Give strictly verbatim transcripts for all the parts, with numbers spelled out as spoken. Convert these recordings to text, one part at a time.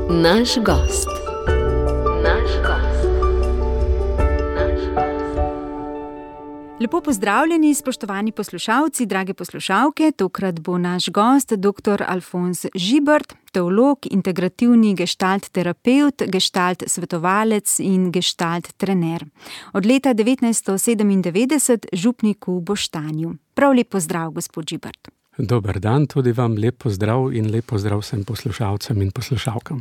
Naš gost. Naš gost. Naš gost. Lepo pozdravljeni, spoštovani poslušalci, drage poslušalke. Tokrat bo naš gost doktor Alfonz Žibert, teolog, integrativni gestalt terapevt, gestalt svetovalec in gestalt trener. Od leta devetnajststo sedemindevetdeset župnik v Boštanju. Prav lep pozdrav, gospod Žibert. Dober dan, tudi vam lep pozdrav in lep pozdrav vsem poslušalcem in poslušalkam.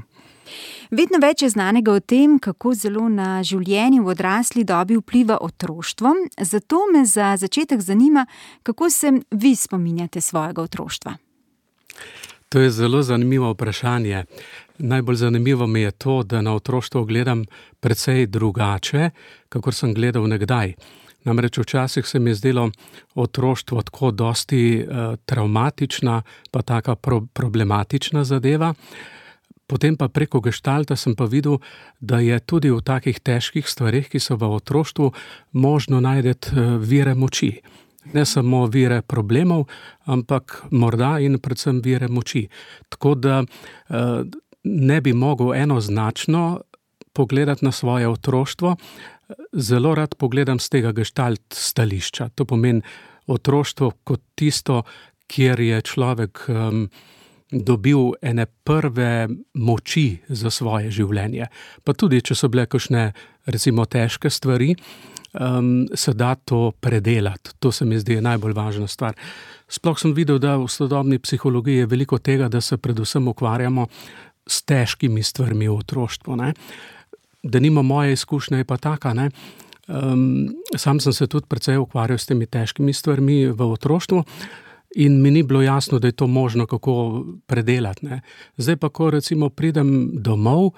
Vedno več je znanega o tem, kako zelo na življenje v odrasli dobi vpliva otroštvo. Zato me za začetek zanima, kako se vi spominjate svojega otroštva. To je zelo zanimivo vprašanje. Najbolj zanimivo mi je to, da na otroštvo gledam precej drugače, kakor sem gledal nekdaj. Namreč včasih se mi je zdelo otroštvo tako dosti uh, travmatična, pa taka pro- problematična zadeva. Potem pa preko geštalta sem pa videl, da je tudi v takih težkih stvareh, ki so v otroštvu, možno najdeti uh, vire moči. Ne samo vire problemov, ampak morda in predvsem vire moči. Tako da uh, ne bi mogel enoznačno pogledati na svoje otroštvo. Zelo rad pogledam z tega gestalt stališča. To pomeni otroštvo kot tisto, kjer je človek um, dobil ene prve moči za svoje življenje. Pa tudi, če so bile kakšne, recimo, težke stvari, um, se da to predelati. To se mi zdi najbolj važna stvar. Sploh sem videl, da v sodobni psihologiji je veliko tega, da se predvsem ukvarjamo s težkimi stvarmi v otroštvu, ne. Da nima moje izkušnje je pa taka, ne. Um, sam sem se tudi precej ukvarjal s temi težkimi stvarmi v otroštvu in mi ni bilo jasno, da je to možno kako predelati, ne. Zdaj pa, ko recimo pridem domov,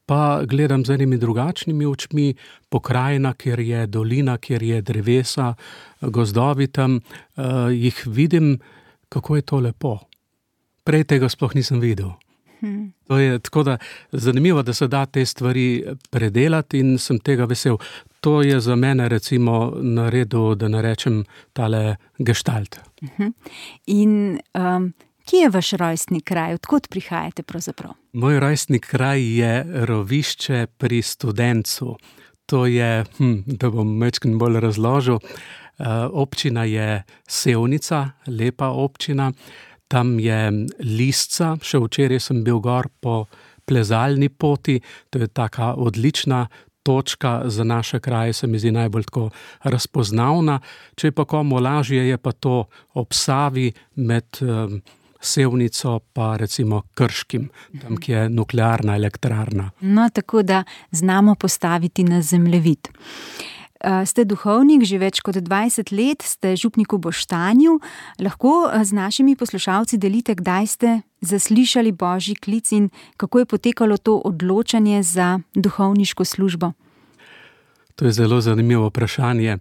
pa gledam z enimi drugačnimi očmi, pokrajina, kjer je dolina, kjer je drevesa, gozdovi tam, uh, jih vidim, kako je to lepo. Prej tega sploh nisem videl. To je tako da zanimivo, da se da te stvari predelati in sem tega vesel. To je za mene recimo naredil, da narečem tale gestalt. In um, kje je vaš rojstni kraj? Odkot prihajate pravzaprav? Moj rojstni kraj je Rovišče pri Studencu. To je, hm, da bom majčkeno bolj razložil, uh, občina je Sevnica, lepa občina. Tam je Lisca, še včeraj sem bil gor po plezalni poti, to je taka odlična točka za naše kraje, se mi zdi najbolj tako razpoznavna. Če je pa komu lažje, je pa to ob Savi med um, Sevnico pa recimo Krškim, tam, ki je nuklearna elektrarna. No, tako da znamo postaviti na zemljevid. Ste duhovnik, že več kot dvajset let, ste župnik v Boštanju. Lahko z našimi poslušalci delite, kdaj ste zaslišali Božji klic in kako je potekalo to odločanje za duhovniško službo? To je zelo zanimivo vprašanje,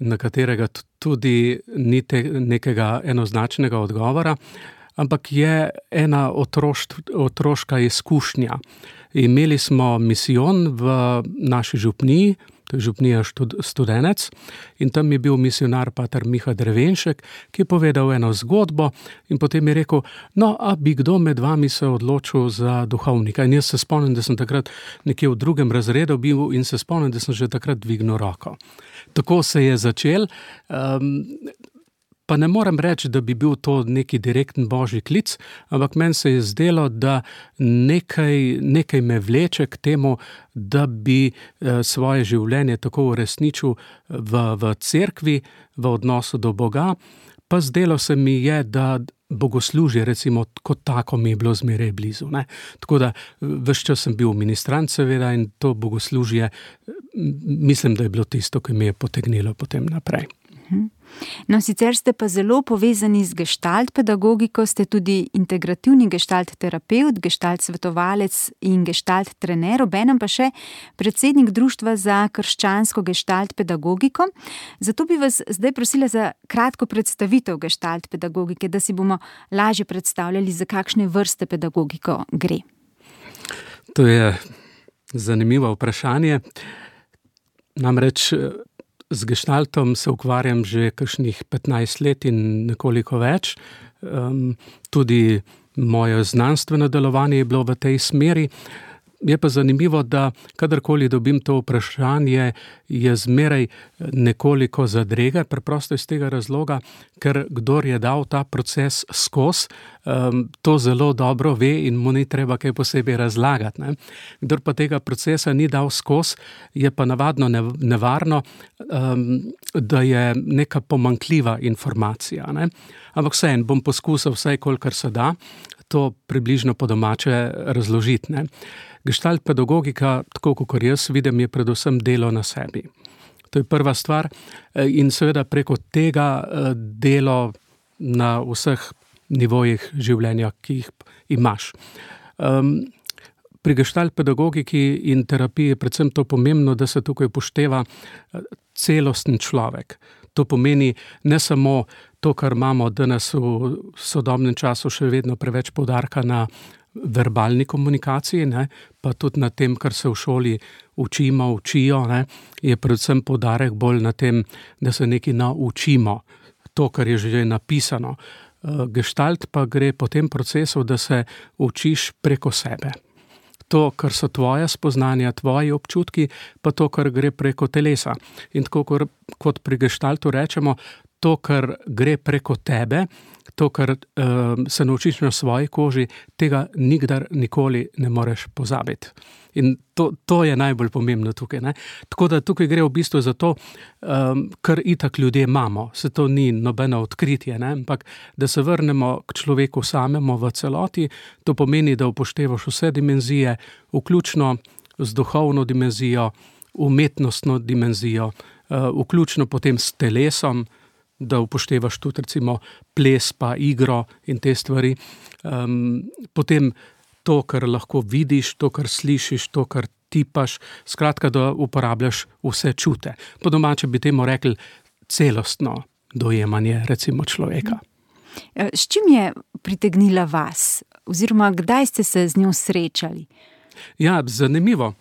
na katerega tudi ni te, nekega enoznačnega odgovora, ampak je ena otroš, otroška izkušnja. Imeli smo misijon v naši župniji, to je župnija Studenec, in tam je bil misionar pater Miha Drevenšek, ki je povedal eno zgodbo in potem je rekel, no, a bi kdo med vami se odločil za duhovnika. In jaz se spomnim, da sem takrat nekje v drugem razredu bil in se spomnim, da sem že takrat dvignil roko. Tako se je začel. Um, Pa ne morem reči, da bi bil to neki direkten Božji klic, ampak meni se je zdelo, da nekaj, nekaj me vleče k temu, da bi svoje življenje tako uresničil v, v cerkvi, v odnosu do Boga, pa zdelo se mi je, da bogoslužje recimo kot tako mi je bilo zmeraj blizu, ne. Tako da ves čas sem bil ministrant seveda in to bogoslužje, mislim, da je bilo tisto, ki me je potegnilo potem naprej. No, sicer ste pa zelo povezani z gestalt pedagogiko, ste tudi integrativni gestalt terapevt, gestalt svetovalec in gestalt trener, obenem pa še predsednik Društva za krščansko gestalt pedagogiko. Zato bi vas zdaj prosila za kratko predstavitev gestalt pedagogike, da si bomo lažje predstavljali, za kakšne vrste pedagogiko gre. To je zanimivo vprašanje. Namreč z gestaltom se ukvarjam že kakšnih petnajst let in nekoliko več. Um, tudi moje znanstveno delovanje je bilo v tej smeri. Je pa zanimivo, da kadarkoli dobim to vprašanje, je zmeraj nekoliko zadrege, preprosto iz tega razloga, ker kdor je dal ta proces skozi, um, to zelo dobro ve in mu ni treba kaj posebej razlagati. Ne. Kdor pa tega procesa ni dal skozi, je pa navadno nevarno, um, da je neka pomanjkljiva informacija. Ne. Ampak vseeno bom poskusil vsaj kolikor se da to približno po domače razložiti. Ne. Gestalt pedagogika, tako kot jaz vidim, je predvsem delo na sebi. To je prva stvar in seveda preko tega delo na vseh nivojih življenja, ki jih imaš. Um, pri gestalt pedagogiki in terapiji je predvsem to pomembno, da se tukaj upošteva celosten človek. To pomeni ne samo to, kar imamo danes v sodobnem času še vedno preveč poudarka na verbalni komunikaciji, ne, pa tudi na tem, kar se v šoli učimo, učijo, ne, je predvsem poudarek bolj na tem, da se nekaj naučimo, to, kar je že napisano. Gestalt pa gre po tem procesu, da se učiš preko sebe. To, kar so tvoja spoznanja, tvoji občutki, pa to, kar gre preko telesa. In tako kot pri gestaltu rečemo, to, kar gre preko tebe, to, kar uh, se naučiš na svoji koži, tega nikdar nikoli ne moreš pozabiti. In to, to je najbolj pomembno tukaj. Ne? Tako da tukaj gre v bistvu za to, um, kar itak ljudje imamo. Se to ni nobeno odkritje, ne? Ampak da se vrnemo k človeku samemu v celoti, to pomeni, da upoštevaš vse dimenzije, vključno z duhovno dimenzijo, umetnostno dimenzijo, uh, vključno potem s telesom, da upoštevaš tudi recimo ples pa igro in te stvari. Um, potem to, kar lahko vidiš, to, kar slišiš, to, kar tipaš, skratka, da uporabljaš vse čute. Po domače bi temu rekli celostno dojemanje recimo človeka. S čim je pritegnila vas? Oziroma, kdaj ste se z njo srečali? Ja, zanimivo.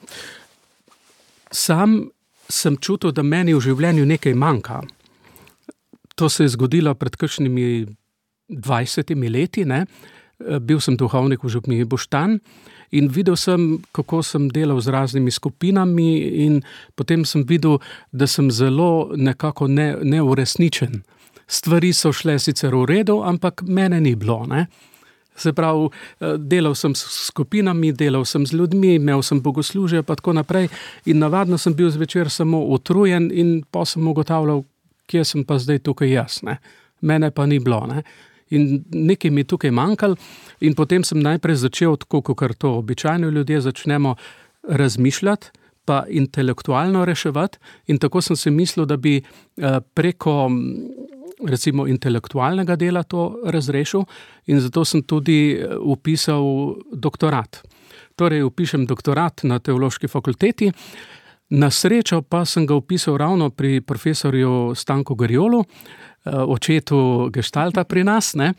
Sam sem čutil, da meni v življenju nekaj manjka. To se je zgodilo pred kakšnimi dvajsetimi leti, ne. Bil sem duhovnik v župniji Boštanj in videl sem, kako sem delal z raznimi skupinami in potem sem videl, da sem zelo nekako ne, neuresničen. Stvari so šle sicer v redu, ampak mene ni bilo, ne. Se pravi, delal sem s skupinami, delal sem z ljudmi, imel sem bogoslužje pa tako naprej in navadno sem bil zvečer samo utrujen in pa sem ugotavljal, kje sem pa zdaj tukaj jaz, ne. Mene pa ni bilo, ne. In nekaj mi tukaj manjkalo in potem sem najprej začel, tako kot to običajno ljudje začnemo razmišljati, pa intelektualno reševati in tako sem si mislil, da bi preko recimo intelektualnega dela to razrešil in zato sem tudi vpisal doktorat. Torej, vpišem doktorat na Teološki fakulteti. Na srečo pa sem ga vpisal ravno pri profesorju Stanku Garjolu, očetu gestalta pri nas, ne.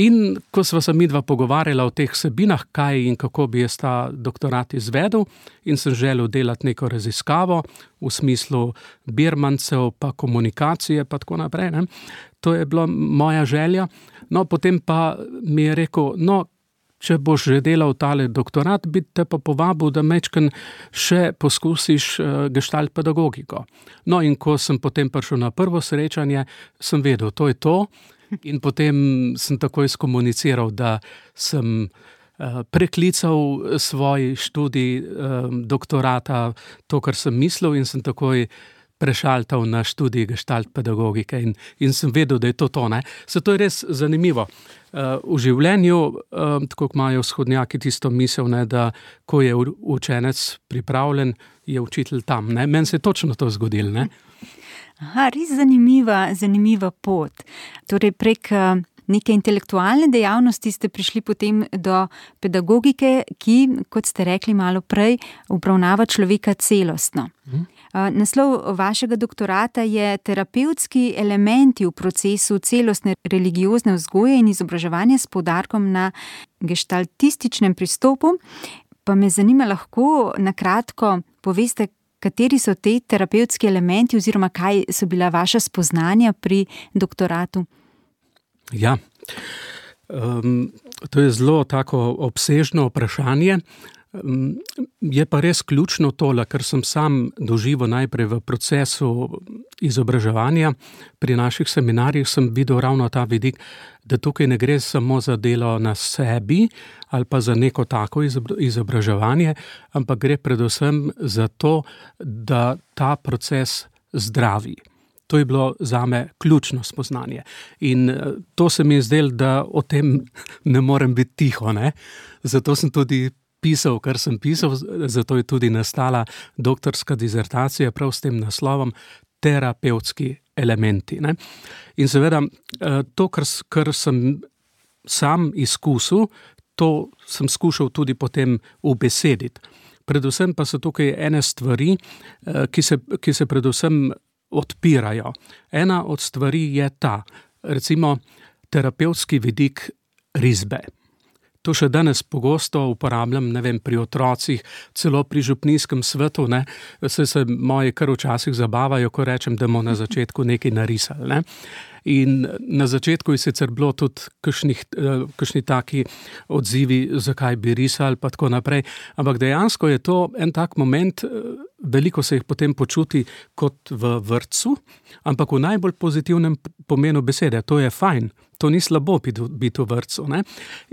In ko sva se midva pogovarjala o teh vsebinah, kaj in kako bi jaz ta doktorat izvedel in sem želel delati neko raziskavo v smislu birmancev pa komunikacije pa tako naprej, ne. To je bila moja želja. No, potem pa mi je rekel, no, če boš že delal tale doktorat, bi te pa povabil, da mečken še poskusiš gestalt pedagogiko. No, in ko sem potem prišel na prvo srečanje, sem vedel, to je to. In potem sem takoj skomuniciral, da sem preklical svoj študij doktorata, to, kar sem mislil, in sem takoj prešaltal na študij gestalt pedagogike in, in sem vedel, da je to to, ne. Se to je res zanimivo. V življenju, tako kot imajo vzhodnjaki tisto misel, ne, da ko je učenec pripravljen, je učitelj tam, ne. Meni se je točno to zgodilo, ne. Aha, res zanimiva, zanimiva pot. Torej prek neke intelektualne dejavnosti ste prišli potem do pedagogike, ki, kot ste rekli malo prej, obravnava človeka celostno. Hmm. Naslov vašega doktorata je Terapevtski elementi v procesu celostne religiozne vzgoje in izobraževanja s poudarkom na gestaltističnem pristopu. Pa me zanima, lahko na kratko poveste, kateri so te terapevtski elementi oziroma kaj so bila vaša spoznanja pri doktoratu? Ja, Um, to je zelo tako obsežno vprašanje. Um, je pa res ključno tole, ker sem sam doživel najprej v procesu izobraževanja. Pri naših seminarjih sem videl ravno ta vidik, da tukaj ne gre samo za delo na sebi ali pa za neko tako izobraževanje, ampak gre predvsem za to, da ta proces zdravi. To je bilo zame ključno spoznanje. In to se mi je zdelo, da o tem ne morem biti tiho, ne? Zato sem tudi pisal, kar sem pisal, zato je tudi nastala doktorska dizertacija prav s tem naslovom terapevtski elementi, ne? In seveda to, kar, kar sem sam izkusil, to sem skušal tudi potem ubesediti. Predvsem pa so tukaj ene stvari, ki se, ki se predvsem odpirajo. Ena od stvari je ta, recimo terapevtski vidik risbe. To še danes pogosto uporabljam, ne vem, pri otrocih, celo pri župnijskem svetu, ne, se, se moji kar včasih zabavajo, ko rečem, da bomo na začetku nekaj narisali, ne. In na začetku je sicer bilo tudi kakšnih, kakšni taki odzivi, zakaj bi risali, pa tako naprej, ampak dejansko je to en tak moment, veliko se jih potem počuti kot v vrtcu, ampak v najbolj pozitivnem pomenu besede, to je fajn. To ni slabo biti, biti v vrtcu, ne?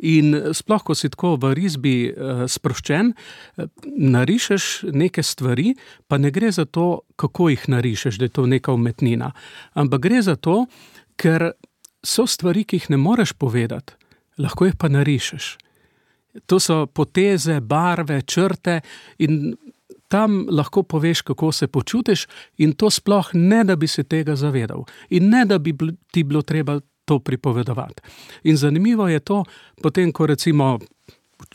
In sploh, ko si tako v risbi uh, sproščen, narišeš neke stvari, pa ne gre za to, kako jih narišeš, da je to neka umetnina. Ampak gre za to, ker so stvari, ki jih ne moreš povedati, lahko jih pa narišeš. To so poteze, barve, črte in tam lahko poveš, kako se počutiš in to sploh ne, da bi se tega zavedal. In ne, da bi ti bilo treba to pripovedovati. In zanimivo je to, potem, ko recimo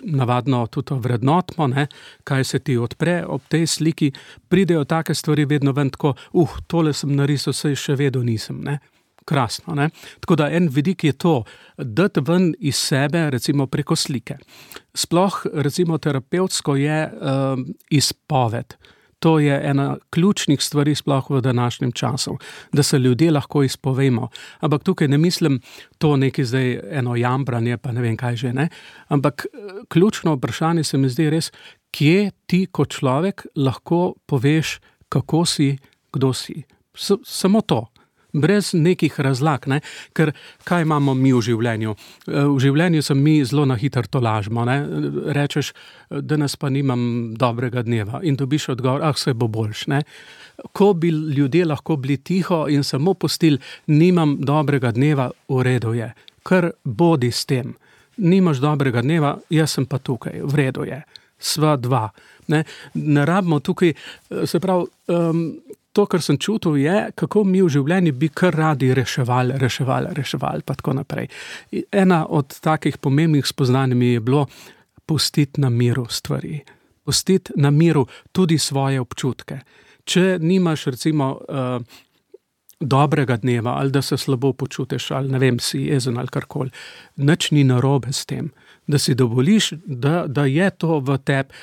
navadno tudi vrednotimo, ne, kaj se ti odpre ob tej sliki, pridejo take stvari vedno ven tako, uh, tole sem narisal, saj še vedno nisem, ne. Krasno, ne. Tako da en vidik je to, dati ven iz sebe, recimo preko slike. Sploh, recimo terapevtsko je uh, izpoved. To je ena ključnih stvari sploh v današnjem času, da se ljudje lahko izpovemo. Ampak tukaj ne mislim to neki zdaj eno jambranje, pa ne vem kaj že, ne. Ampak ključno vprašanje se mi zdi res, kje ti kot človek lahko poveš, kako si, kdo si. S- samo to. Brez nekih razlag, ne? Ker kaj imamo mi v življenju? V življenju sem mi zelo na hitro tolažimo, ne? Rečeš, danes pa nimam dobrega dneva in dobiš odgovor, ah, se bo boljš, ne? Ko bi ljudje lahko bili tiho in samo pustili, nimam dobrega dneva, v redu je, kar bodi s tem. Nimaš dobrega dneva, jaz sem pa tukaj, v redu je, sva dva, ne? Ne rabimo tukaj, se pravi, um, to, kar sem čutil, je, kako mi v življenju bi kar radi reševali, reševali, reševali, pa tako naprej. Ena od takih pomembnih spoznanj mi je bilo pustiti na miru stvari. Pustiti na miru tudi svoje občutke. Če nimaš, recimo, uh, dobrega dneva, ali da se slabo počutiš, ali ne vem, si jezen ali karkoli, nič ni narobe s tem. Da si dovoliš, da, da je to v tebi,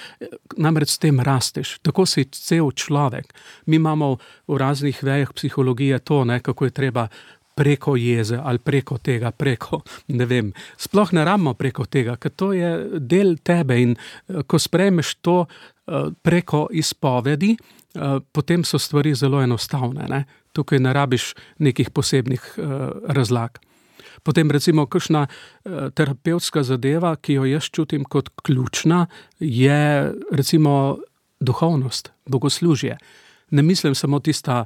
namreč s tem rasteš, tako si cel človek. Mi imamo v raznih vejah psihologije to, ne, kako je treba preko jeze ali preko tega, preko, ne vem, sploh ne rabimo preko tega, ker to je del tebe in ko sprejmeš to preko izpovedi, potem so stvari zelo enostavne, ne. Tukaj ne rabiš nekih posebnih razlag. Potem recimo kakšna terapevtska zadeva, ki jo jaz čutim kot ključna, je recimo duhovnost, bogoslužje. Ne mislim samo tista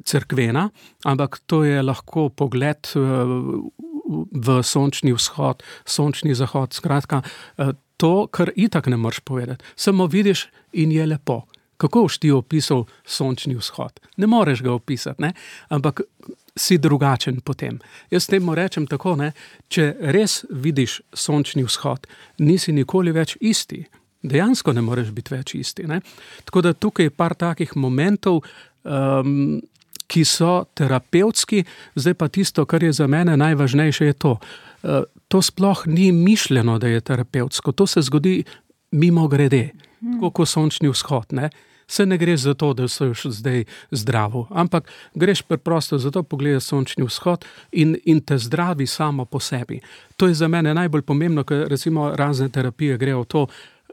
cerkvena, ampak to je lahko pogled v sončni vzhod, sončni zahod, skratka, to, kar itak ne moreš povedati. Samo vidiš in je lepo. Kako boš ti opisal sončni vzhod? Ne moreš ga opisati, ne? Ampak si drugačen potem. Jaz temu rečem tako, ne, če res vidiš sončni vzhod, nisi nikoli več isti. Dejansko ne moreš biti več isti, ne. Tako da tukaj je par takih momentov, um, ki so terapevtski, zdaj pa tisto, kar je za mene najvažnejše, je to. Uh, to sploh ni mišljeno, da je terapevtsko, to se zgodi mimo grede, tako kot sončni vzhod, ne. Se ne greš za to, da si zdaj zdravo, ampak greš preprosto za to, pogledaš sončni vzhod in, in te zdravi samo po sebi. To je za mene najbolj pomembno, ker recimo razne terapije grejo v to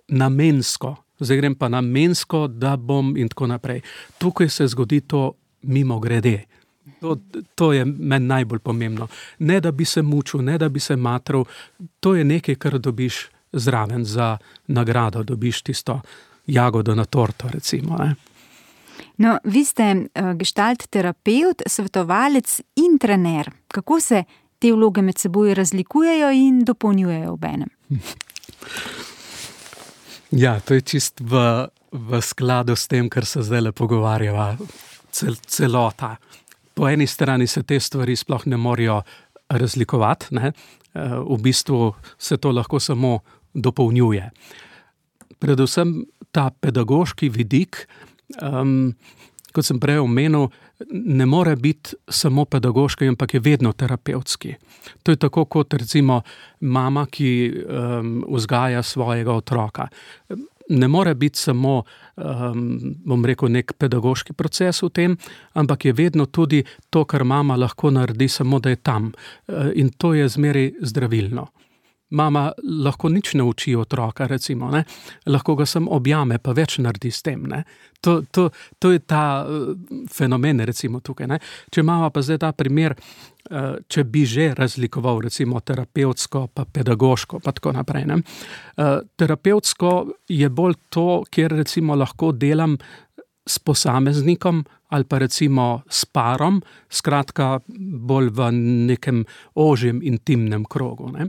namensko. Zdaj grem pa namensko, da bom in tako naprej. Tukaj se zgodi to mimo grede. To, to je meni najbolj pomembno. Ne, da bi se mučil, ne, da bi se matral. To je nekaj, kar dobiš zraven za nagrado, dobiš tisto jagodo na torto, recimo. Ne? No, vi ste uh, gestalt terapevt, svetovalec in trener. Kako se te vloge med seboj razlikujejo in dopolnjujejo obenem? Ja, to je čist v, v skladu s tem, kar se zdaj le pogovarjava, cel, celota. Po eni strani se te stvari sploh ne morejo razlikovati, ne? V bistvu se to lahko samo dopolnjuje. Predvsem ta pedagoški vidik, um, kot sem prej omenil, ne more biti samo pedagoški, ampak je vedno terapevtski. To je tako kot recimo mama, ki um, vzgaja svojega otroka. Ne more biti samo, um, bom rekel, nek pedagoški proces v tem, ampak je vedno tudi to, kar mama lahko naredi, samo da je tam. In to je zmeraj zdravilno. Mama lahko nič ne uči otroka, recimo, ne? Lahko ga samo objame, pa več naredi s tem. Ne? To, to, to je ta uh, fenomen, recimo tukaj. Ne? Če mama pa zdaj ta primer, uh, če bi že razlikoval, recimo terapevtsko, pa pedagoško, pa tako naprej. Ne? Uh, terapevtsko je bolj to, kjer recimo lahko delam s posameznikom ali pa recimo s parom, skratka bolj v nekem ožjem intimnem krogu. Ne?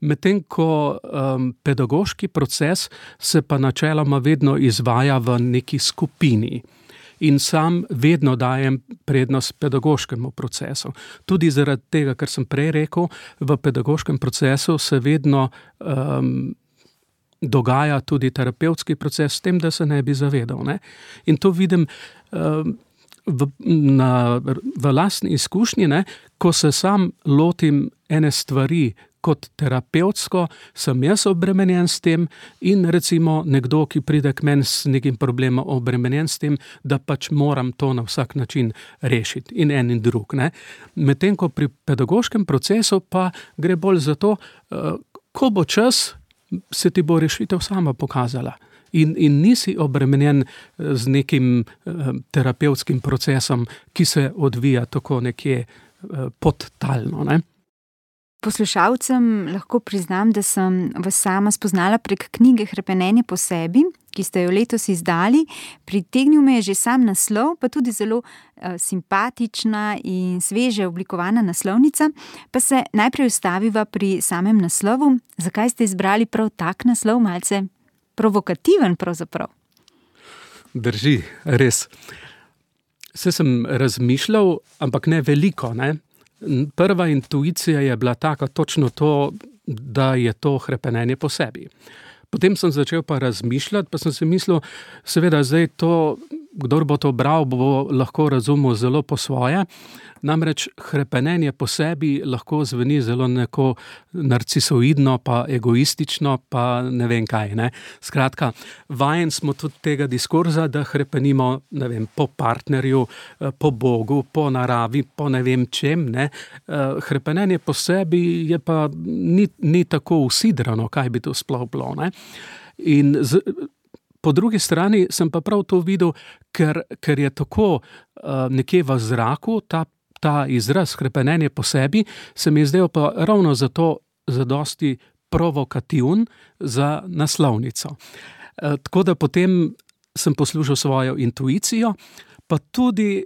Medtem ko um, pedagoški proces se pa načeloma vedno izvaja v neki skupini in sam vedno dajem prednost pedagoškemu procesu. Tudi zaradi tega, kar sem prej rekel, v pedagoškem procesu se vedno um, dogaja tudi terapevtski proces s tem, da se ne bi zavedal. Ne? In to vidim um, v, na, v lastni izkušnji, ne? Ko se sam lotim ene stvari kot terapevtsko, sem jaz obremenjen s tem in recimo nekdo, ki pride k meni s nekim problemom, obremenjen s tem, da pač moram to na vsak način rešiti in en in drug. Ne? Medtem ko pri pedagoškem procesu pa gre bolj za to, uh, ko bo čas, se ti bo rešitev sama pokazala. In, in nisi obremenjen z nekim uh, terapevtskim procesom, ki se odvija tako nekje uh, podtalno. Ne? Poslušalcem lahko priznam, da sem vas sama spoznala prek knjige Hrepenenje po sebi, ki ste jo letos izdali. Pritegnil me je že sam naslov, pa tudi zelo uh, simpatična in sveže oblikovana naslovnica. Pa se najprej ustaviva pri samem naslovu. Zakaj ste izbrali prav tak naslov, malce provokativen pravzaprav? Drži, res. Se sem razmišljal, ampak ne veliko, ne? Prva intuicija je bila taka, točno to, da je to hrepenenje po sebi. Potem sem začel pa razmišljati, pa sem si mislil, seveda zdaj to, kdor bo to bral, bo lahko razumel zelo po svoje. Namreč hrepenenje po sebi lahko zveni zelo neko narcisoidno, pa egoistično, pa ne vem kaj. Ne? Skratka, vajen smo tudi tega diskurza, da hrepenimo, ne vem, po partnerju, po Bogu, po naravi, po ne vem čem. Ne? Hrepenenje po sebi je pa ni, ni tako usidrano, kaj bi to sploh bilo. Ne? In z, po drugi strani sem pa prav to videl, ker, ker je tako uh, nekje v zraku ta Ta izraz hrepenenje po sebi se mi je zdel pa ravno zato zadosti provokativen za naslovnico. E, tako da potem sem poslušal svojo intuicijo, pa tudi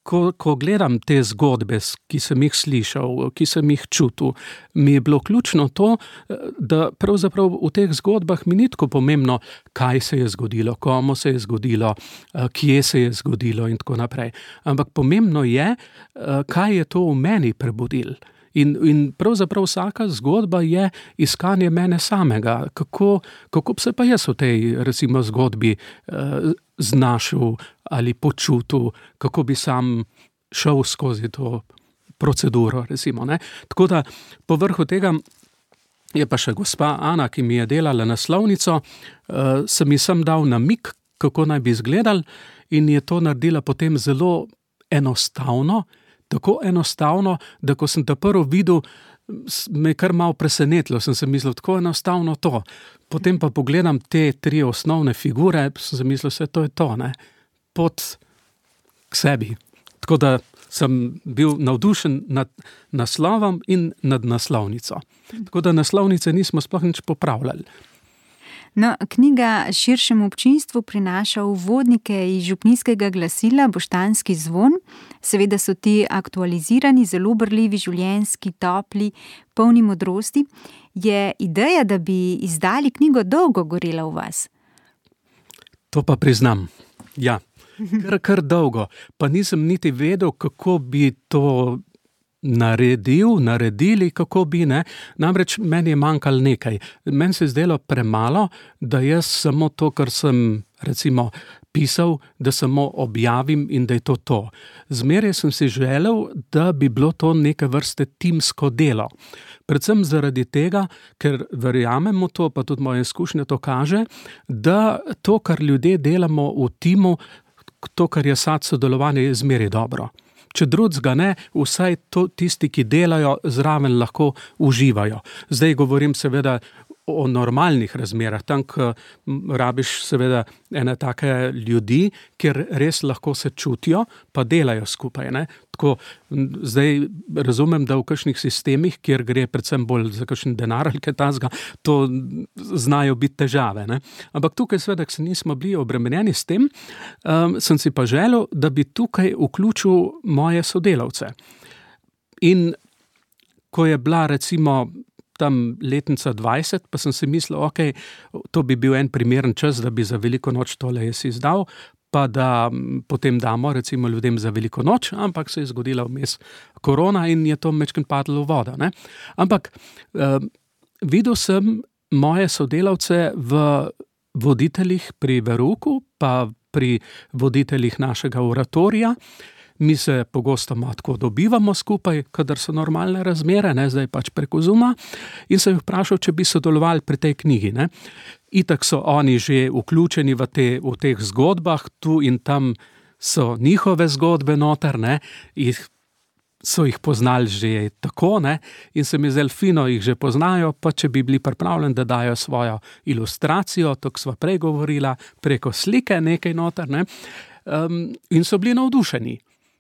ko, ko gledam te zgodbe, ki sem jih slišal, ki sem jih čutil, mi je bilo ključno to, da pravzaprav v teh zgodbah mi ni tako pomembno, kaj se je zgodilo, komu se je zgodilo, kje se je zgodilo in tako naprej. Ampak pomembno je, kaj je to v meni prebudilo. In, in pravzaprav vsaka zgodba je iskanje mene samega. Kako, kako bi se pa jaz v tej, recimo, zgodbi eh, znašel ali počutil, kako bi sam šel skozi to proceduro, recimo. Ne? Tako da, povrhu tega je pa še gospa Ana, ki mi je delala naslovnico, eh, sem ji sem dal namig, kako naj bi izgledali, in je to naredila potem zelo enostavno, tako enostavno, da ko sem ta prvo videl, me je kar malo presenetilo, sem se mislil, tako enostavno to. Potem pa pogledam te tri osnovne figure, sem se mislil, vse to je to, ne, pot k sebi. Tako da sem bil navdušen nad naslovom in nad naslovnico. Tako da naslovnice nismo sploh nič popravljali. No, knjiga širšemu občinstvu prinaša uvodnike iz župnijskega glasila Boštanski zvon. Seveda so ti aktualizirani, zelo brljivi, življenjski, topli, polni modrosti. Je ideja, da bi izdali knjigo, dolgo gorela v vas? To pa priznam, ja. Kar, kar dolgo. Pa nisem niti vedel, kako bi to naredil, naredili, kako bi, ne. Namreč meni je manjkalo nekaj. Meni se je zdelo premalo, da jaz samo to, kar sem recimo pisal, da samo objavim in da je to to. Zmeraj sem si želel, da bi bilo to neke vrste timsko delo. Predvsem zaradi tega, ker verjamemo to, pa tudi moje izkušnje to kaže, da to, kar ljudje delamo v timu, to, kar je sad sodelovanje, je zmeraj dobro. Če drugega ne, vsaj to, tisti, ki delajo, zraven lahko uživajo. Zdaj govorim seveda o normalnih razmerah, tam, ko rabiš seveda ene take ljudi, kjer res lahko se čutijo, pa delajo skupaj, ne. Tako, zdaj razumem, da v kakšnih sistemih, kjer gre predvsem bolj za kakšen denar ali kaj takega, to znajo biti težave, ne. Ampak tukaj seveda, ko se nismo bili obremenjeni s tem, um, sem si pa želel, da bi tukaj vključil moje sodelavce. In ko je bila recimo tam letnica dvajset, pa sem si mislil, ok, to bi bil en primeren čas, da bi za veliko noč tole jaz izdal, pa da potem damo recimo ljudem za veliko noč, ampak se je zgodila vmes korona in je to majčkeno padlo v vodo, ne. Ampak eh, videl sem moje sodelavce v voditeljih pri verouku, pa pri voditeljih našega oratorija. Mi se pogosto tako dobivamo skupaj, kadar so normalne razmere, ne, zdaj pač preko Zooma, in sem jih vprašal, če bi sodelovali pri tej knjigi, ne. Itak so oni že vključeni v, te, v teh zgodbah, tu in tam so njihove zgodbe noter, ne, jih, so jih poznali že tako, ne, in se mi zdelo fino, jih že poznajo, pa če bi bili pripravljeni, da dajo svojo ilustracijo, to, ko sva prej govorila, preko slike nekaj noter, ne, um, in so bili navdušeni.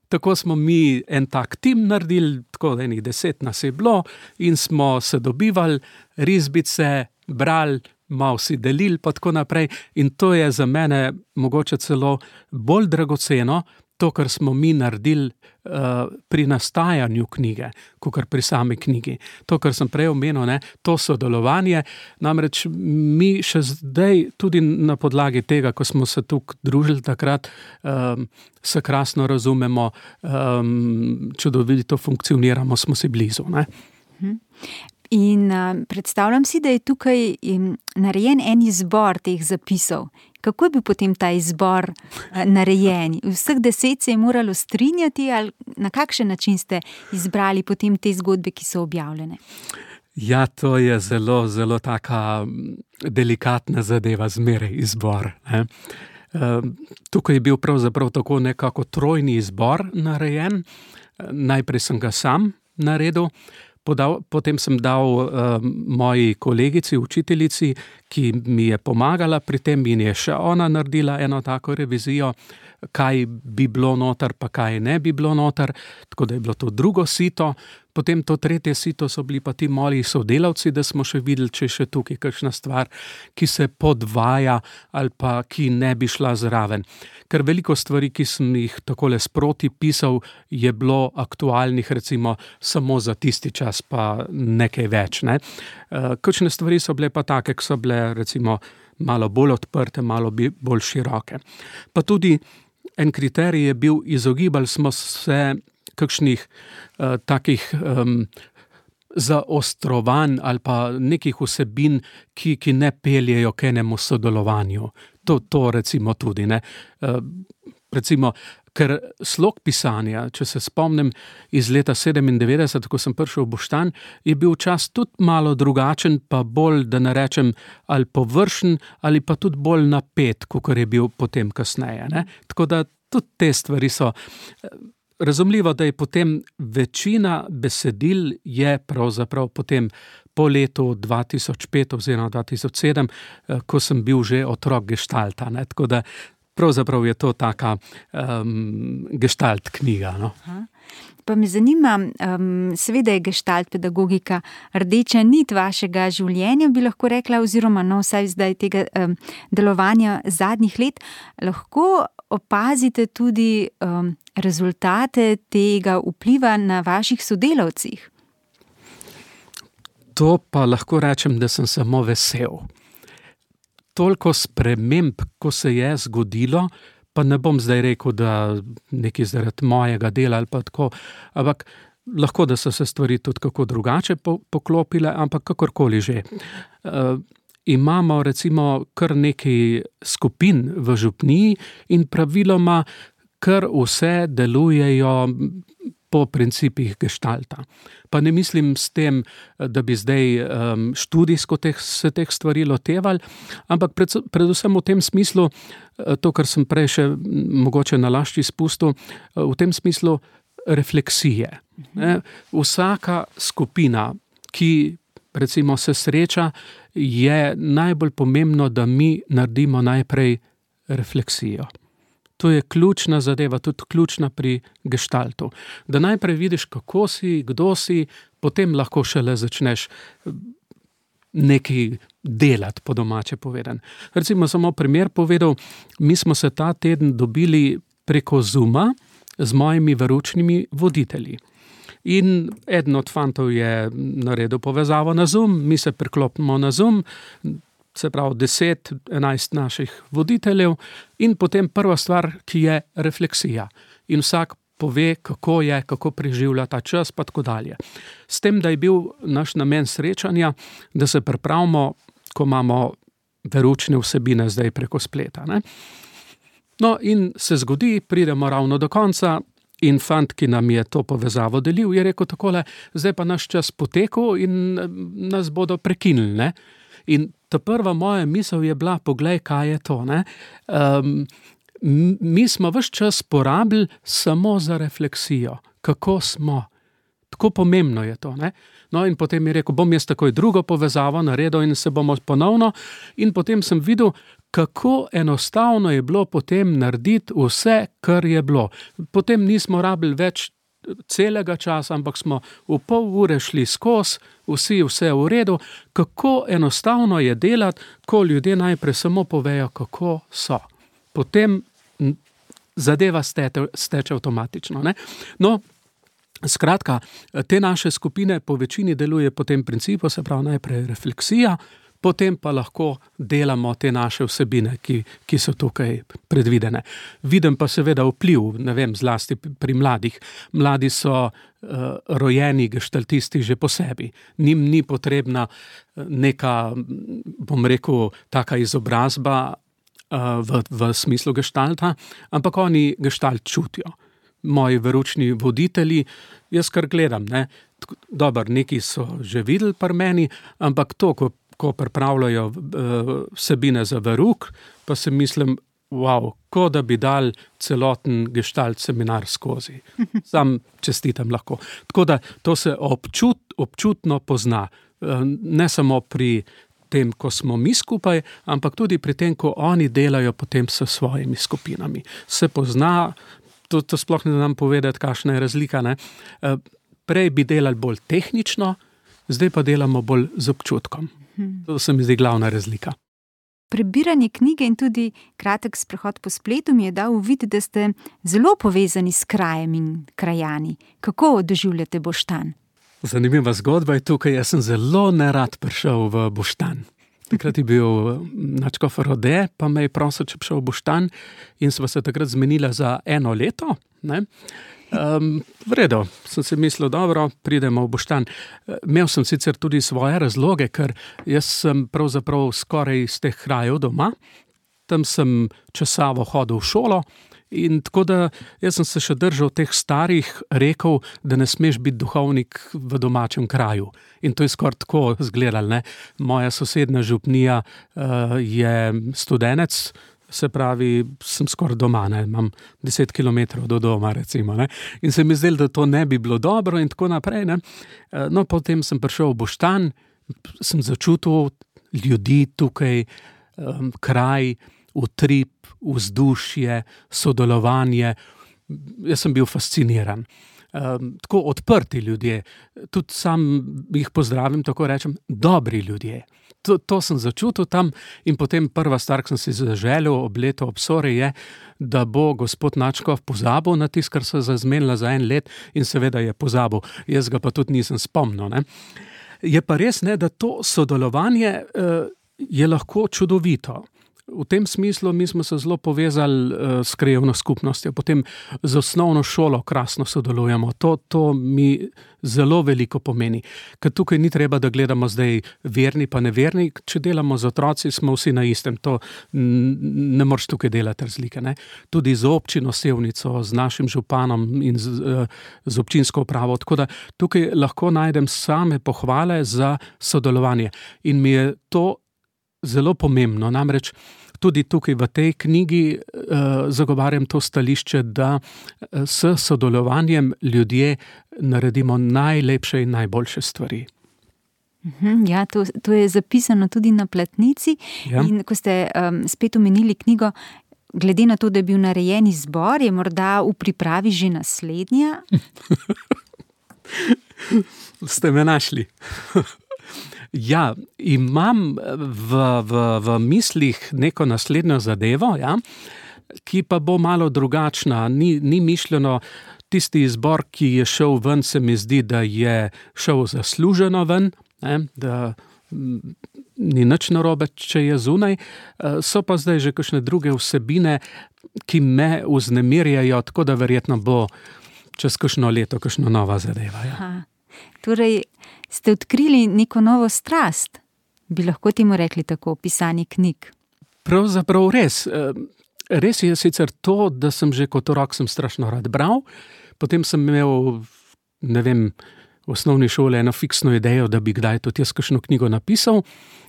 Tako smo mi en tak tim naredili, tako da enih deset nas je bilo in smo se dobivali, risbice, brali, malo si delili pa tako naprej, in to je za mene mogoče celo bolj dragoceno, to, kar smo mi naredili uh, pri nastajanju knjige, kakor pri sami knjigi. To, kar sem prej omenil, ne, to sodelovanje, namreč mi še zdaj tudi na podlagi tega, ko smo se tukaj družili takrat, um, se krasno razumemo, um, čudovito funkcioniramo, smo si blizu, ne. In uh, predstavljam si, da je tukaj um, narejen en izbor teh zapisov. Kako je bil potem ta izbor uh, narejen? Vseh deset se je moralo strinjati, ali na kakšen način ste izbrali potem te zgodbe, ki so objavljene? Ja, to je zelo, zelo taka delikatna zadeva, zmeraj izbor, ne. Uh, tukaj je bil pravzaprav tako nekako trojni izbor narejen. Najprej sem ga sam naredil, Podal, potem sem dal uh, moji kolegici, učiteljici, ki mi je pomagala pri tem in je še ona naredila eno tako revizijo, kaj bi bilo noter, pa kaj ne bi bilo noter, tako da je bilo to drugo sito. Potem to tretje sito so bili pa ti moji sodelavci, da smo še videli, če je še tukaj kakšna stvar, ki se podvaja ali pa ki ne bi šla zraven. Ker veliko stvari, ki sem jih takole sproti pisal, je bilo aktualnih recimo samo za tisti čas, pa nekaj več, ne. Kakšne stvari so bile pa take, ki so bile recimo malo bolj odprte, malo bolj široke. Pa tudi en kriterij je bil, izogibali smo se kakšnih uh, takih um, zaostrovanj ali pa nekih vsebin, ki, ki ne peljejo k enemu sodelovanju. To, to recimo tudi, ne. Uh, recimo, ker slog pisanja, če se spomnim iz leta sedemindevetdeset, ko sem prišel v Boštanj, je bil čas tudi malo drugačen, pa bolj, da ne rečem, ali površen, ali pa tudi bolj napet, kakor je bil potem kasneje. Ne? Tako da tudi te stvari so. Razumljivo, da je potem večina besedil je pravzaprav potem po letu dva tisoč pet oziroma dva tisoč sedem, ko sem bil že otrok geštalta. Ne? Tako da pravzaprav je to taka um, gestalt knjiga. No? Pa me zanima, um, seveda je gestalt pedagogika rdeča nit vašega življenja, bi lahko rekla, oziroma no, vsaj zdaj tega um, delovanja zadnjih let, lahko opazite tudi um, rezultate tega vpliva na vaših sodelavcih? To pa lahko rečem, da sem samo vesel. Toliko sprememb, ko se je zgodilo, pa ne bom zdaj rekel, da nekaj zaradi mojega dela ali pa tako, ampak lahko, da so se stvari tudi kako drugače poklopile, ampak kakorkoli že. Uh, imamo recimo kar nekaj skupin v župniji in praviloma kar vse delujejo po principih geštalta. Pa ne mislim s tem, da bi zdaj um, študijsko teh, se teh stvari lotevali, ampak pred, predvsem v tem smislu, to, kar sem prej še mogoče nalašč izpustil, v tem smislu refleksije. Ne? Vsaka skupina, ki recimo se sreča, je najbolj pomembno, da mi naredimo najprej refleksijo. To je ključna zadeva, tudi ključna pri geštaltu. Da najprej vidiš, kako si, kdo si, potem lahko šele začneš nekaj delati, po domače povedan. Recimo samo primer povedal, mi smo se ta teden dobili preko Zooma z mojimi veroučnimi voditelji. In eden od fantov je naredil povezavo na Zoom, mi se priklopimo na Zoom, se pravi deset, enajst naših voditeljev in potem prva stvar, ki je refleksija. In vsak pove, kako je, kako preživlja ta čas, pa tako dalje. S tem, da je bil naš namen srečanja, da se pripravimo, ko imamo veroučne vsebine zdaj preko spleta. Ne? No in se zgodi, pridemo ravno do konca, in fant, ki nam je to povezavo delil, je rekel takole, zdaj pa naš čas potekel in nas bodo prekinili. Ne? In ta prva moja misel je bila, poglej, kaj je to. Ne? Um, mi smo ves čas porabili samo za refleksijo, kako smo. Tako pomembno je to. Ne? No in potem je rekel, bom jaz takoj drugo povezavo naredil in se bomo ponovno. In potem sem videl, kako enostavno je bilo potem narediti vse, kar je bilo. Potem nismo rabili več celega časa, ampak smo v pol ure šli skozi, vsi vse v redu. Kako enostavno je delati, ko ljudje najprej samo povejo, kako so. Potem zadeva steče, steče avtomatično. Ne? No, skratka, te naše skupine po večini deluje po tem principu, se pravi najprej refleksija, potem pa lahko delamo te naše vsebine, ki, ki so tukaj predvidene. Vidim pa seveda vpliv, ne vem, zlasti pri mladih. Mladi so uh, rojeni geštaltisti že po sebi. Njim ni potrebna neka, bom rekel, taka izobrazba uh, v, v smislu geštalta, ampak oni geštalt čutijo. Moji veroučni voditelji, jaz kar gledam, ne, dober, neki so že videli pri meni, ampak to, ko ko pripravljajo uh, vsebine za verouk, pa se mislim, wow, ko da bi dal celoten gestalt seminar skozi. Sam čestitam lahko. Tako da to se občut, občutno pozna. Uh, ne samo pri tem, ko smo mi skupaj, ampak tudi pri tem, ko oni delajo potem s svojimi skupinami. Se pozna, to, to sploh ne znam povedati, kakšna je razlika. Ne? Uh, prej bi delali bolj tehnično, zdaj pa delamo bolj z občutkom. To se mi zdi glavna razlika. Prebiranje knjige in tudi kratek sprehod po spletu mi je dal uvid, da ste zelo povezani s krajem in krajani. Kako doživljate Boštanj? Zanimiva zgodba je tukaj. Jaz sem zelo nerad prišel v Boštanj. Takrat je bil nadškof Rode, pa me je prosil, če prišel v Boštanj in sva se takrat zmenila za eno leto. Ne? Um, v redu, sem si mislil, dobro, pridemo v Boštanj. Imel sem sicer tudi svoje razloge, ker jaz sem pravzaprav skoraj iz teh krajev doma. Tam sem časavo hodil v šolo In tako da jaz sem se še držal teh starih rekov, da ne smeš biti duhovnik v domačem kraju. In to je skoraj tako izgledalo, ne. Moja sosednja župnija uh, je Studenec, se pravi, sem skoraj doma, ne, imam deset kilometrov do doma, recimo, ne. In se mi zdelo, da to ne bi bilo dobro in tako naprej, ne. Uh, no, potem sem prišel v Boštanj, sem začutil ljudi tukaj, um, kraj, utrip, vzdušje, sodelovanje. Jaz sem bil fasciniran. Um, tako odprti ljudje, tudi sam jih pozdravim, tako rečem, dobri ljudje. To, to sem začutil tam in potem prva stvar, ki sem si zaželil ob letu obsore je, da bo gospod Načkov pozabil na tisto, kar se zazmenila za en let in seveda je pozabil. Jaz ga pa tudi nisem spomnil, ne. Je pa res, ne, da to sodelovanje uh, je lahko čudovito. V tem smislu mi smo se zelo povezali uh, s krajevno skupnostjo, potem z osnovno šolo krasno sodelujemo. To, to mi zelo veliko pomeni. Ker tukaj ni treba, da gledamo zdaj verni pa neverni, če delamo z otroci, smo vsi na istem. To ne moreš tukaj delati razlike, ne. Tudi z občino Sevnico, z našim županom in z, uh, z občinsko upravo. Tako da tukaj lahko najdem same pohvale za sodelovanje. In mi je to zelo pomembno, namreč tudi tukaj v tej knjigi uh, zagovarjam to stališče, da uh, s sodelovanjem ljudje naredimo najlepše in najboljše stvari. Ja, to, to je zapisano tudi na platnici. Ja. In ko ste um, spet omenili knjigo, glede na to, da je bil narejen izbor, je morda v pripravi že naslednja? Ste me našli. Ja, imam v, v, v mislih neko naslednjo zadevo, ja, ki pa bo malo drugačna. Ni, ni mišljeno tisti izbor, ki je šel ven, se mi zdi, da je šel zasluženo ven, ne, da m, ni nič narobe, če je zunaj. So pa zdaj že kakšne druge vsebine, ki me vznemirjajo, tako da verjetno bo čez kakšno leto kakšna nova zadeva. Ja. Aha. Torej, ste odkrili neko novo strast, bi lahko temu rekli tako, pisanje knjig? Pravzaprav res. Res je sicer to, da sem že kot otrok sem strašno rad bral, potem sem imel, ne vem, v osnovni šoli eno fiksno idejo, da bi kdaj tudi jaz kakšno knjigo napisal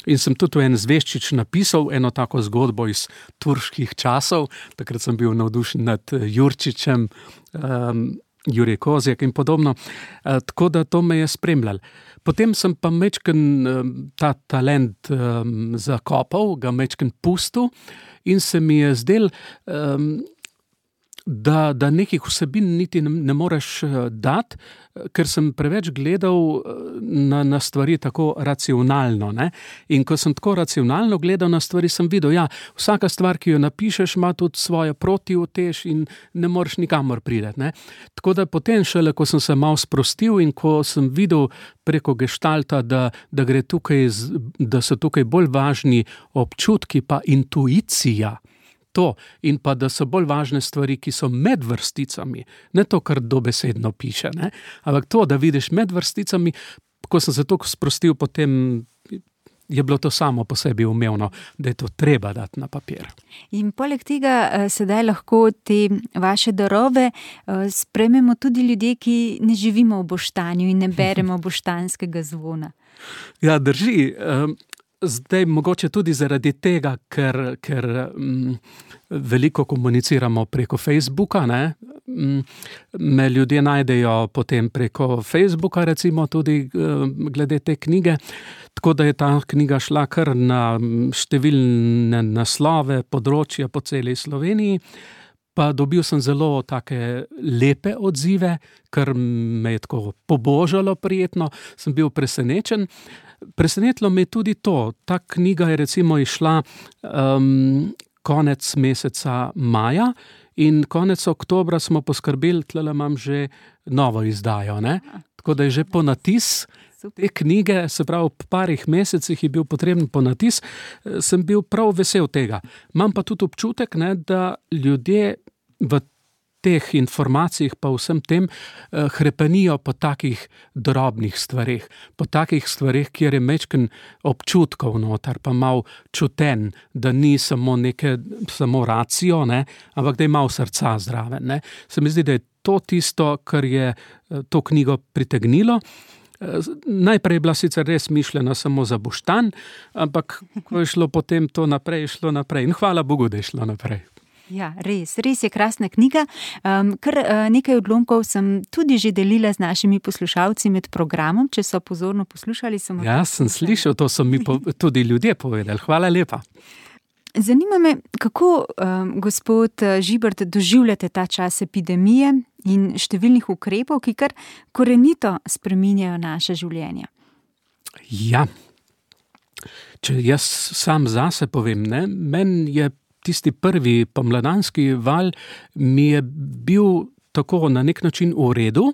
in sem tudi en zveščič napisal eno tako zgodbo iz turških časov, takrat sem bil navdušen nad Jurčičem, um, Jurij Kozjak in podobno, e, tako da to me je spremljalo. Potem sem pa mečken um, ta talent um, zakopal, ga mečken pustil in se mi je zdel, um, da, da nekih vsebin niti ne, ne moreš dati, ker sem preveč gledal na, na stvari tako racionalno, ne. In ko sem tako racionalno gledal na stvari, sem videl, ja, vsaka stvar, ki jo napišeš, ima tudi svojo protiutež in ne moreš nikamor priti, ne. Tako da potem šele, ko sem se malo sprostil in ko sem videl preko geštalta, da, da gre tukaj, da so tukaj bolj važni občutki pa intuicija, to, in pa da so bolj važne stvari, ki so med vrsticami, ne to, kar dobesedno piše, ne, ampak to, da vidiš med vrsticami, ko sem se toliko sprostil, potem je bilo to samo po sebi umevno, da je to treba dati na papir. In poleg tega sedaj lahko te vaše darove sprejmemo tudi ljudje, ki ne živimo v Boštanju in ne beremo boštanskega zvona. Ja, drži. Zdaj mogoče tudi zaradi tega, ker, ker m, veliko komuniciramo preko Facebooka, ne, m, me ljudje najdejo potem preko Facebooka, recimo tudi m, glede te knjige, tako da je ta knjiga šla kar na številne naslove, področja po celi Sloveniji, pa dobil sem zelo take lepe odzive, kar me je tako pobožalo prijetno, sem bil presenečen. Presenetilo me je tudi to, ta knjiga je recimo išla um, konec meseca maja in konec oktobra smo poskrbeli, tlele imam že novo izdajo, ne? Tako da je že ponatis te knjige, se pravi v parih mesecih je bil potreben ponatis, sem bil prav vesel tega. Imam pa tudi občutek, ne, da ljudje v teh informacijah pa vsem tem uh, hrepenijo po takih drobnih stvareh, po takih stvareh, kjer je mečken občutkov noter, pa mal čuten, da ni samo neke, samo racijo, ne, ampak da je mal srca zraven, ne. Se mi zdi, da je to tisto, kar je uh, to knjigo pritegnilo. Najprej je bila sicer res mišljena samo za Boštanj, ampak ko je šlo potem to naprej, je šlo naprej. In hvala Bogu, da je šlo naprej. Ja, res, res je krasna knjiga. Um, kar uh, nekaj odlomkov sem tudi že delila z našimi poslušalci med programom, če so pozorno poslušali. Sem ja, sem slišal, to so mi po, tudi ljudje povedali. Hvala lepa. Zanima me, kako, um, gospod Žibert, doživljate ta čas epidemije in številnih ukrepov, ki kar korenito spreminjajo naše življenje? Ja, če jaz sam zase povem, ne, meni je tisti prvi pomladanski val mi je bil tako na nek način v redu,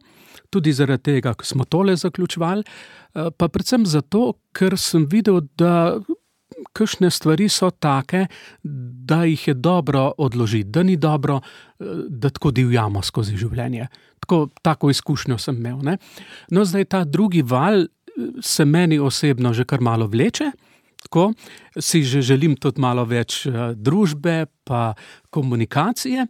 tudi zaradi tega, ko smo tole zaključevali, pa predvsem zato, ker sem videl, da kakšne stvari so take, da jih je dobro odložiti, da ni dobro, da tako divjamo skozi življenje. Tako, tako izkušnjo sem imel, ne. No, zdaj ta drugi val se meni osebno že kar malo vleče, tako, si že želim tudi malo več družbe pa komunikacije.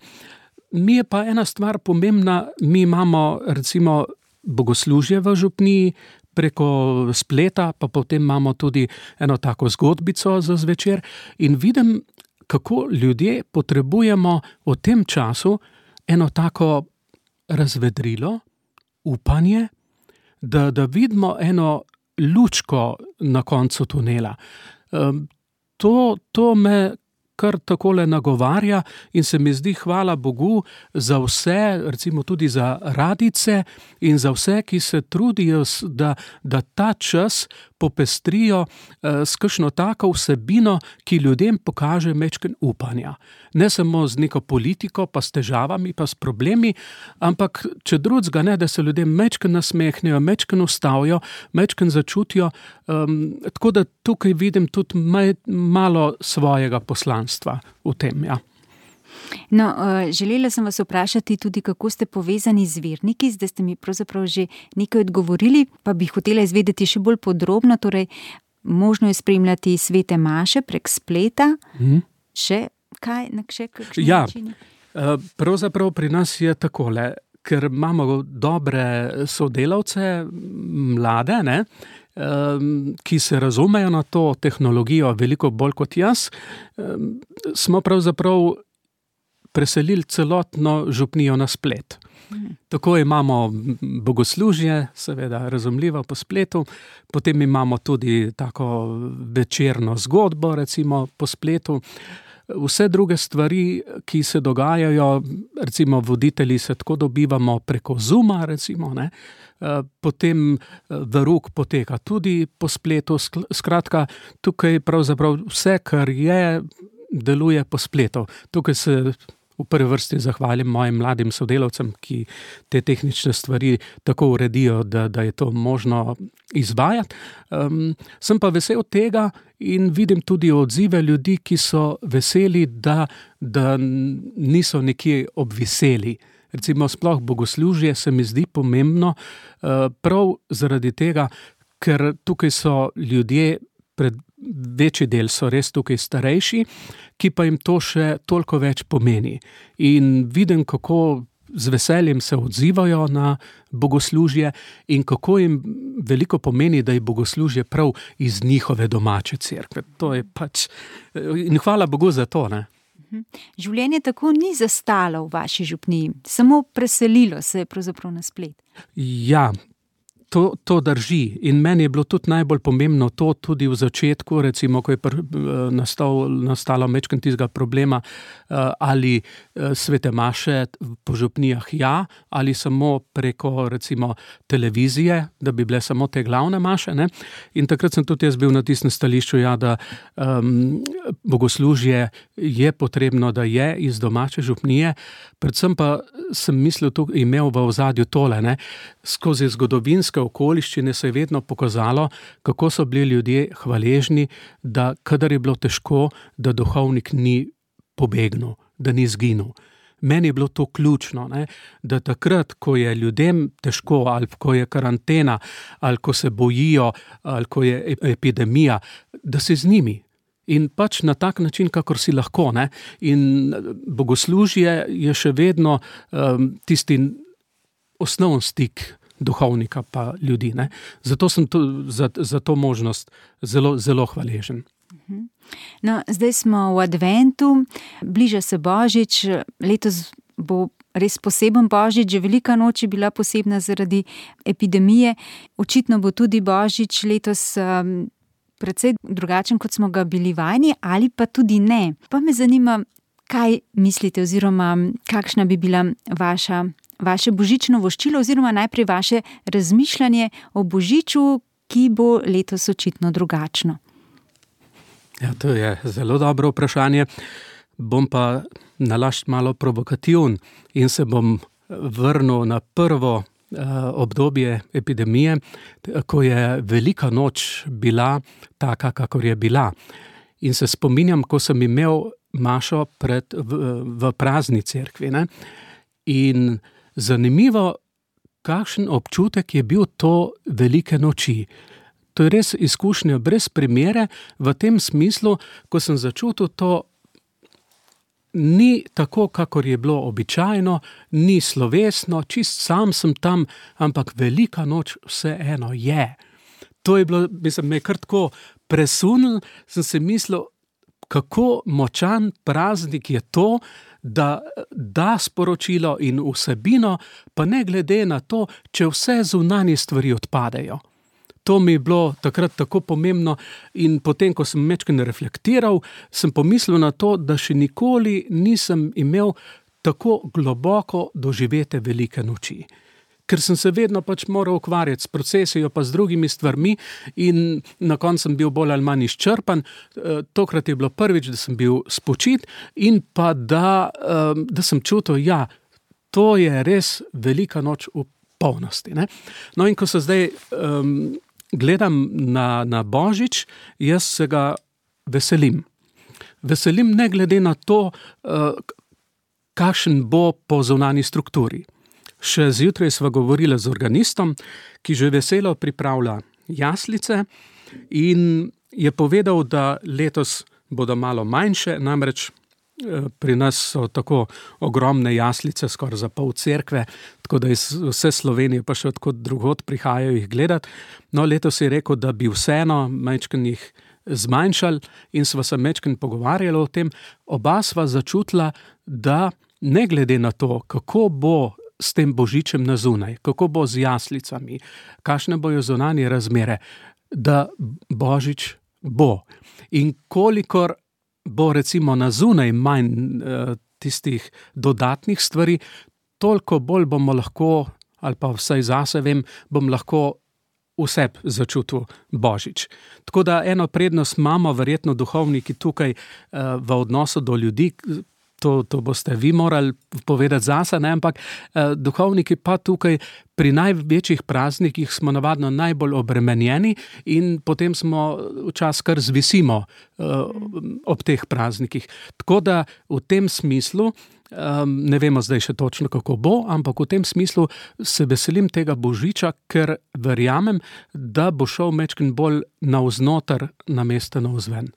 Mi je pa ena stvar pomembna, mi imamo recimo bogoslužje v župniji, preko spleta, pa potem imamo tudi eno tako zgodbico za zvečer in vidim, kako ljudje potrebujemo v tem času eno tako razvedrilo, upanje, da, da vidimo eno lučko na koncu tunela. Um, to, to me kar takole nagovarja in se mi zdi, hvala Bogu, za vse, recimo tudi za radice in za vse, ki se trudijo, da, da ta čas popestrijo eh, s kakšno tako vsebino, ki ljudem pokaže mečken upanja. Ne samo z neko politiko, pa s težavami, pa s problemi, ampak če drugega ne, da se ljudem mečken nasmehnejo, mečken ustavijo, mečken začutijo, um, tako da tukaj vidim tudi maj, malo svojega poslanstva v tem, ja. No, želela sem vas vprašati tudi, kako ste povezani z verniki, zdaj ste mi pravzaprav že nekaj odgovorili, pa bi hotela izvedeti še bolj podrobno, torej možno je spremljati svete maše prek spleta, mm. še kaj, na še kakšni ja, načini? Pravzaprav pri nas je takole, ker imamo dobre sodelavce, mlade, ne, ki se razumejo na to tehnologijo veliko bolj kot jaz, smo pravzaprav preselili celotno župnijo na splet. Tako imamo bogoslužje, seveda razumljivo po spletu, potem imamo tudi tako večerno zgodbo, recimo po spletu. Vse druge stvari, ki se dogajajo, recimo voditelji se tako dobivamo preko Zooma, recimo, ne, potem verouk poteka tudi po spletu, skratka, tukaj pravzaprav vse, kar je, deluje po spletu. Tukaj se v prvi vrsti zahvalim mojim mladim sodelavcem, ki te tehnične stvari tako uredijo, da, da je to možno izvajati. Um, sem pa vesel tega in vidim tudi odzive ljudi, ki so veseli, da, da niso nekje obviseli. Recimo sploh bogoslužje se mi zdi pomembno, uh, prav zaradi tega, ker tukaj so ljudje, pred večji del so res tukaj starejši, ki pa jim to še toliko več pomeni. In vidim, kako z veseljem se odzivajo na bogoslužje in kako jim veliko pomeni, da je bogoslužje prav iz njihove domače cerkve. To je pač, in hvala Bogu za to, ne. Življenje tako ni zastalo v vaši župniji, samo preselilo se je pravzaprav na splet. Ja, To, to drži in meni je bilo tudi najbolj pomembno to tudi v začetku, recimo, ko je pr, nastal, nastalo mečken tistega problema, ali svete maše po župnijah ja, ali samo preko, recimo, televizije, da bi bile samo te glavne maše, ne. In takrat sem tudi jaz bil na tistem stališču, ja, da um, bogoslužje je potrebno, da je iz domače župnije, predvsem pa sem mislil, tu imel v ozadju tole, ne, skozi zgodovinske okoliščine se je vedno pokazalo, kako so bili ljudje hvaležni, da kadar je bilo težko, da duhovnik ni pobegnil, da ni zginil. meni je bilo to ključno, ne? Da takrat, ko je ljudem težko, ali ko je karantena, ali ko se bojijo, ali ko je epidemija, da si z njimi. In pač na tak način, kakor si lahko, ne? In bogoslužje je še vedno um, tisti osnovni stik duhovnika pa ljudi, ne? Zato sem to, za, za to možnost zelo, zelo hvaležen. No, zdaj smo v adventu, bliža se Božič, letos bo res poseben Božič, že velika noč je bila posebna zaradi epidemije, očitno bo tudi Božič letos um, precej drugačen, kot smo ga bili vajeni, ali pa tudi ne. Pa me zanima, kaj mislite oziroma kakšna bi bila vaša, vaše božično voščilo oziroma najprej vaše razmišljanje o Božiču, ki bo letos očitno drugačno. Ja, to je zelo dobro vprašanje. Bom pa nalašč malo provokativen in se bom vrnil na prvo obdobje epidemije, ko je velika noč bila taka, kakor je bila. In se spominjam, ko sem imel mašo pred, v, v prazni cerkvi. Ne? In zanimivo, kakšen občutek je bil to velike noči. To je res izkušnja brez primere v tem smislu, ko sem začutil to, ni tako, kakor je bilo običajno, ni slovesno, čist sam sem tam, ampak velika noč vseeno je. To je bilo, mislim, me kar tako presunil, sem se mislil, kako močan praznik je to, da da sporočilo in vsebino, pa ne glede na to, če vse zunanje stvari odpadejo. To mi je bilo takrat tako pomembno in potem, ko sem mečken reflektiral, sem pomislil na to, da še nikoli nisem imel tako globoko doživete velike noči. Ker sem se vedno pač moral ukvarjati s procesijo pa z drugimi stvarmi in na koncu sem bil bolj ali manj izčrpan. Tokrat je bilo prvič, da sem bil spočit in pa da, da sem čutil, ja, to je res velika noč v polnosti. Ne? No in ko se zdaj um, gledam na, na Božič, jaz se ga veselim. Veselim ne glede na to, uh, kakšen bo po zunanji strukturi. Še zjutraj sva govorila z organistom, ki že veselo pripravlja jaslice in je povedal, da letos bodo malo manjše, namreč pri nas so tako ogromne jaslice, skoraj za pol cerkve, tako da iz vse Slovenije pa še odkot drugod prihajajo jih gledati. No, letos je rekel, da bi vseeno majčken jih zmanjšali in sva se majčken pogovarjali o tem. Oba sva začutila, da ne glede na to, kako bo s tem Božičem na zunaj, kako bo z jaslicami, kakšne bojo zunanje razmere, da Božič bo. In kolikor bo recimo na zunaj manj uh, tistih dodatnih stvari, toliko bolj bomo lahko, ali pa vsaj zase vem, bom lahko vse začutil Božič. Tako da eno prednost imamo verjetno duhovniki tukaj uh, v odnosu do ljudi, To, to boste vi morali povedati zase, ne? Ampak eh, duhovniki pa tukaj pri največjih praznikih smo navadno najbolj obremenjeni in potem smo včasih kar zvisimo eh, ob teh praznikih. Tako da v tem smislu, eh, ne vemo zdaj še točno, kako bo, ampak v tem smislu se veselim tega Božiča, ker verjamem, da bo šel mečken bolj navznoter namesto navzven.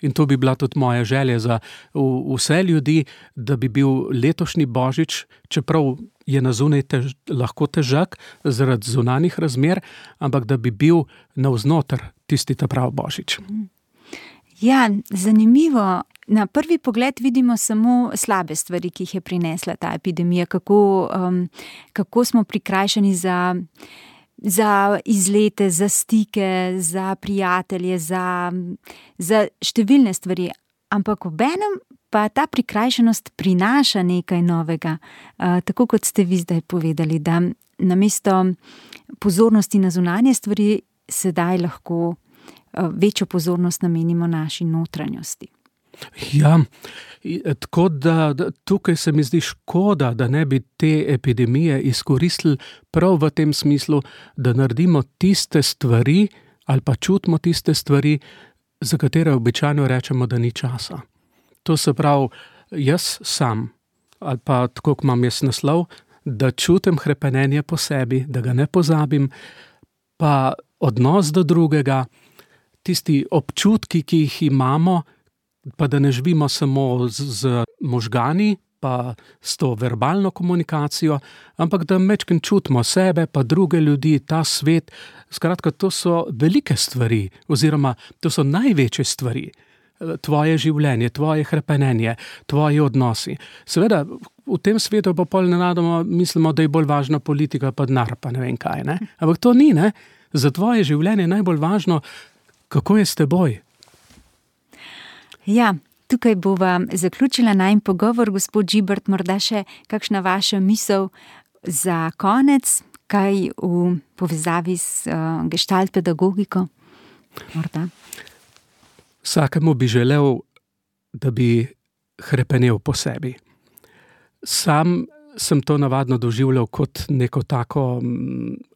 In to bi bila tudi moja želja za vse ljudi, da bi bil letošnji Božič, čeprav je na zunaj tež, lahko težak zaradi zunanjih razmer, ampak da bi bil navznoter tisti ta prav Božič. Ja, zanimivo. Na prvi pogled vidimo samo slabe stvari, ki jih je prinesla ta epidemija, kako, um, kako smo prikrajšani za... za izlete, za stike, za prijatelje, za, za številne stvari. Ampak obenem pa ta prikrajšanost prinaša nekaj novega. Uh, tako kot ste vi zdaj povedali, da namesto pozornosti na zunanje stvari sedaj lahko uh, večjo pozornost namenimo naši notranjosti. Ja, tako da, da tukaj se mi zdi škoda, da ne bi te epidemije izkoristili prav v tem smislu, da naredimo tiste stvari ali pa čutimo tiste stvari, za katere običajno rečemo, da ni časa. To se pravi, jaz sam ali pa tako, kot imam jaz naslov, da čutim hrepenenje po sebi, da ga ne pozabim, pa odnos do drugega, tisti občutki, ki jih imamo, pa da ne živimo samo z, z možgani, pa s to verbalno komunikacijo, ampak da mečken čutimo sebe, pa druge ljudi, ta svet. Skratka, to so velike stvari, oziroma to so največje stvari. Tvoje življenje, tvoje hrepenenje, tvoji odnosi. Seveda, v tem svetu pa pol nenadoma mislimo, da je bolj važna politika, pa denar, pa ne vem kaj, ne? Ampak to ni, ne? Za tvoje življenje je najbolj važno, kako je s teboj. Ja, tukaj bova zaključila najin pogovor, gospod Žibert, morda še kakšna vaša misel za konec, kaj v povezavi s uh, gestalt pedagogiko? Morda. Vsakemu bi želel, da bi hrepenel po sebi. Sam sem to navadno doživljal kot neko tako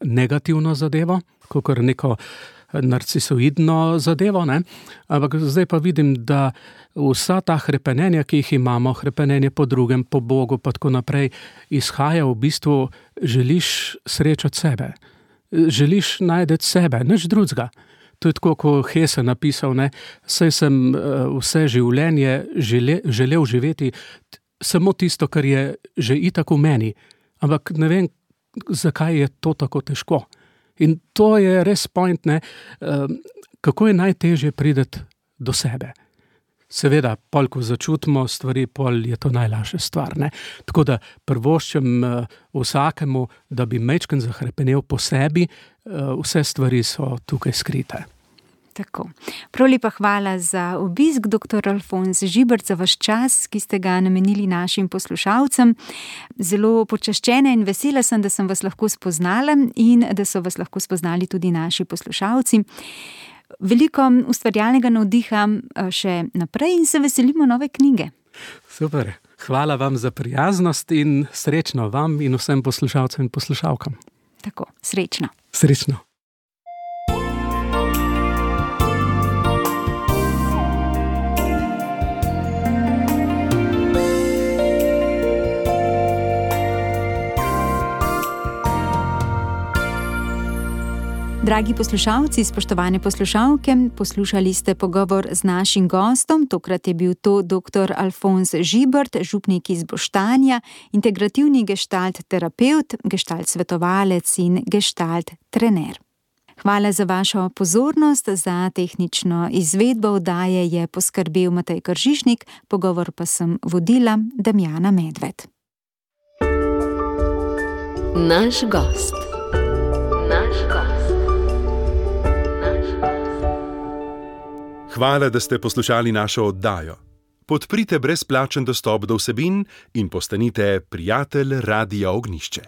negativno zadevo, kakor neko narcisoidno zadevo, ne? Ampak zdaj pa vidim, da vsa ta hrepenenja, ki jih imamo, hrepenenje po drugem, po Bogu, pa tako naprej, izhaja v bistvu, želiš srečati sebe. Želiš najti sebe, nič drugega. To je tako, kot Hesse napisal, ne? Saj sem uh, vse življenje žele, želel živeti samo tisto, kar je že itak v meni. Ampak ne vem, zakaj je to tako težko. In to je res point, ne, kako je najtežje priti do sebe. Seveda, pol, ko začutimo stvari, pol je to najlažja stvar, ne. Tako da prvoščem vsakemu, da bi majčken zahrepenel po sebi, vse stvari so tukaj skrite. Tako. Prav lepa hvala za obisk, doktor Alfons Žibert, za vaš čas, ki ste ga namenili našim poslušalcem. Zelo počaščena in vesela sem, da sem vas lahko spoznala in da so vas lahko spoznali tudi naši poslušalci. Veliko ustvarjalnega navdiha še naprej in se veselimo nove knjige. Super. Hvala vam za prijaznost in srečno vam in vsem poslušalcem in poslušalkam. Tako, srečno. Srečno. Dragi poslušalci, spoštovane poslušalke, poslušali ste pogovor z našim gostom, tokrat je bil to doktor Alfons Žibert, župnik iz Boštanja, integrativni gestalt terapevt, gestalt svetovalec in gestalt trener. Hvala za vašo pozornost, za tehnično izvedbo oddaje je poskrbel Matej Kržišnik, pogovor pa sem vodila Damjana Medved. Naš gost. Naš gost. Hvala, da ste poslušali našo oddajo. Podprite brezplačen dostop do vsebin in postanite prijatelj Radia Ognjišče.